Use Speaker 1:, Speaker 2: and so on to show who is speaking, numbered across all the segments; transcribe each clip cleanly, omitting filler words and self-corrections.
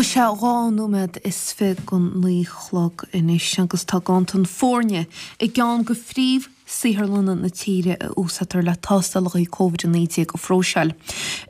Speaker 1: Tá sé 22 nóiméad don 9 a chlog anois agus tá ganntan foirne i gceann de phríomh saotharlanna na tíre a úsáidtear le tástálacha Covid-19 a phróiseáil.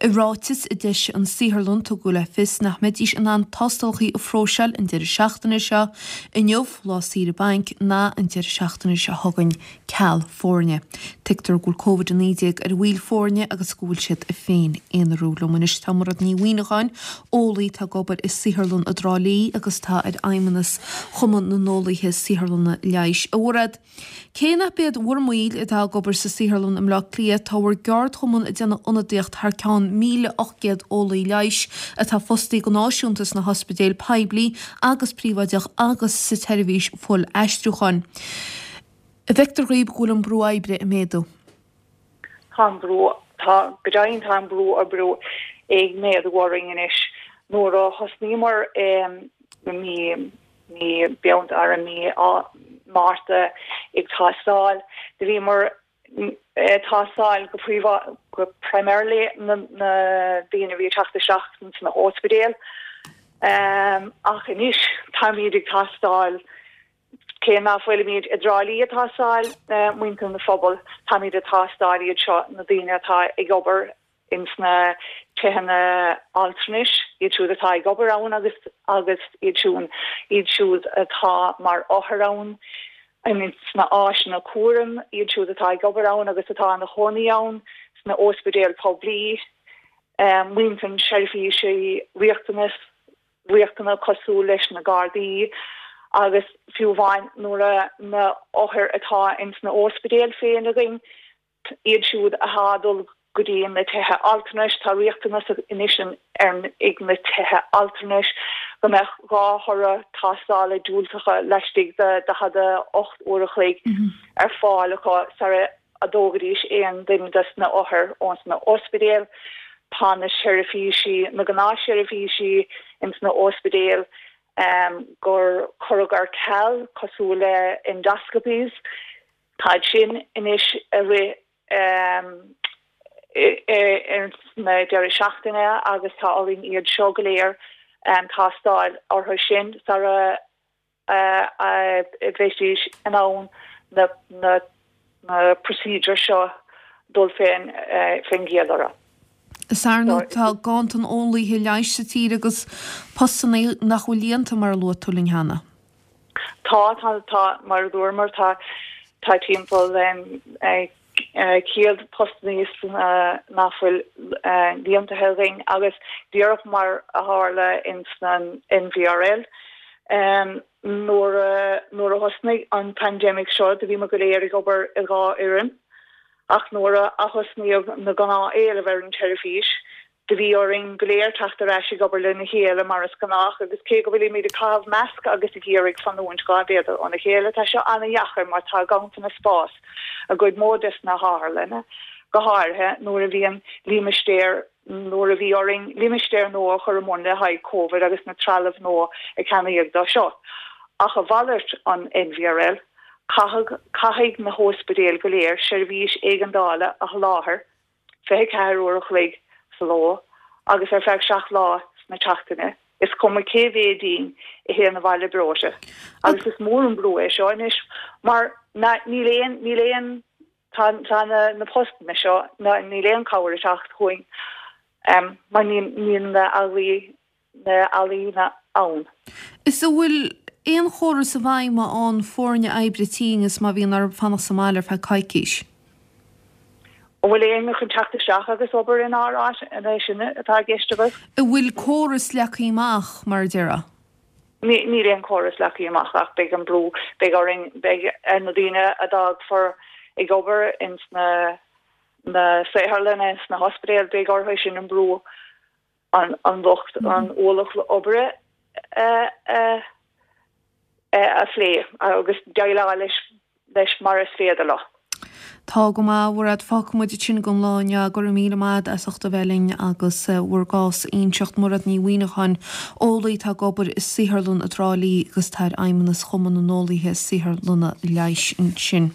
Speaker 1: I ráiteas a d'eisigh an saotharlann tugadh le fios nach mbeidís in ann tástálacha a phróiseáil an deireadh seachtaine seo, inniu, lá saoire bainc, ná an deireadh seachtaine seo chugainn. ceal foirne. Tuigtear go bhfuil Covid-19 ar bhaill foirne agus go bhfuil siad ag féin-aonarú. Liom anois tá Mairéad Ní Mhuimhneacháin, eolaí atá ag obair i saotharlann i dTrá Lí agus atá ar fheidhmeannas Chumann na nEolaithe Saotharlanna Leighis. A Mhairéad, cé nach iad bhur mbaill atá ag obair sa saotharlann i mBleá Cliath, tá bhur gceardchumann ag déanamh ionadaíocht thar ceann 1,800 eolaí leighis atá fostaí go náisiúnta sna hospidéil poiblí agus príobháideach agus sa tseirbhís fuil-aistriúcháin. An bhfeictear dhaoib go bhfuil an brú oibre ag méadú?
Speaker 2: Tá an brú, tá, go deimhin tá an brú oibre ag méadú orainn anois. Nuair a thosnaíomar i mí, mí Bealtaine, i mí Márta ag tástáil, do bhíomar ag tástáil go príomha, go primarily na daoine a bhí ag teacht isteach sna hóspidéil. Ach anois táimid ag tástáil Cé ná fuilimid i dTrá Lí ag tástáil muintir na phobal, táimid ag tástáil iad seo, na daoine atá ag obair ins na tithe altranais, iad siúd atá ag obair ann agus agus iad siúd iad siúd atá mar othair ann, ins na áiseanna cúraim, iad siúd atá ag obair ann agus atá ina chónaí ann, sna óspidéil poiblí, muintir na seirbhísí riachtanas. riachtanach cosúil leis na Gardaí agus fiú amháin nuair a na othair atá ins na óspidéil féin againn, iad siúd atá ag dul go dtí na tithe altranais, tá riachtanas anois ar ag na tithe altranais go mbeadh 2 thoradh tástála diúltacha laistigh de 48 uair a chloig ar fáil acu sara a dtógaidís aon duine des na othair ós na ospidéil. Tá na seirbhísí, na gnáthsheirbhísí ins na ospidéil gur cuireadh ar ceal, cosúil le endoscopies, táid sin anois ag rith ins na deireadh seachtaine agus tá orainn iad seo go léir tástáil orthu sin sara a bheidís in ann na procedures seo dul fén gcéad orthu.
Speaker 1: Is ar ndóigh tá ganntan eolaithe leighis sa tír agus postanna nach bhfuil líonta mar a luaigh tú linn cheana.
Speaker 2: Tá, tá, tá, mar a dúramar tá, tá timpeall 100 postanna nach bhfuil líontaithe againn agus díreach mar a tharla ins an NVRL nuair a nuair a thosnaigh an pandemic seo do bhíomar go léir ag obair i 2 fhoireann ach nuair a athosnaíodh na gnáth-éilimh ar an tseirbhís Do bhí orainn go léir teacht ar ais ag obair lena chéile mar is gnách agus cé go bhfuilimid ag caitheamh masc agus ag iarraidh fanúint 2 mhéadar óna chéile, tá seo ana-dheachair mar tá ganntanas spás i gcuid mhór des na hotharlanna, go háirithe nuair a bhíonn límistéir nuair a bhí orainn limistéir nua a chur i mbun le haghaidh Covid agus na trealamh nua a ceannaíodh dó seo. Ach a mhalairt an NVRL, caithfidh caithfidh na hóspidéil go léir seirbhís éigeandála a sholáthar 24 uair a chloig sa ló agus ar feadh 7 lá sna tseachtaine, is cuma cé mhéad dínn a théann abhaile breoite. Agus is mór an brú é seo anois mar níl aon, níl aon, tá, tá na, na postanna seo, níl aon cabhair ag teacht chugainn mar níl, níl na eolaí, na heolaithe ann.
Speaker 1: Is an bhfuil aon chóras i bhfeidhm má fhaigheann foirne oibre tinn is má bhíonn orthu fanacht sa mbaile ar feadh coicís?
Speaker 2: An bhfuil éinne chun teacht isteach agus obair inár áit, an é sin atá i gceist agat?
Speaker 1: An bhfuil córas leagtha amach, mar a déarfá?
Speaker 2: Níl aon chóras leagtha amach ach beidh an brú, beidh orainn, beidh ar na daoine a d'fhágfar ag obair ins na na saotharlanna, sna hospidéil, beidh orthu sin an brú an lucht an ualach oibre a phlé agus déileáil leis leis mar is féidir leo.
Speaker 1: Tá go maith, a Mhairéad. Fágfaidh muid ansin don lá inniu. Go raibh míle maith agat as ucht a bheith linn agus bhur gcás a inseacht. Mairéad Ní Mhuimhneacháin, eolaí atá ag obair i saotharlann i dTrá Lí agus atá ar fheidhmeannas Chumann na nEolaithe Saotharlanna Leighis ansin.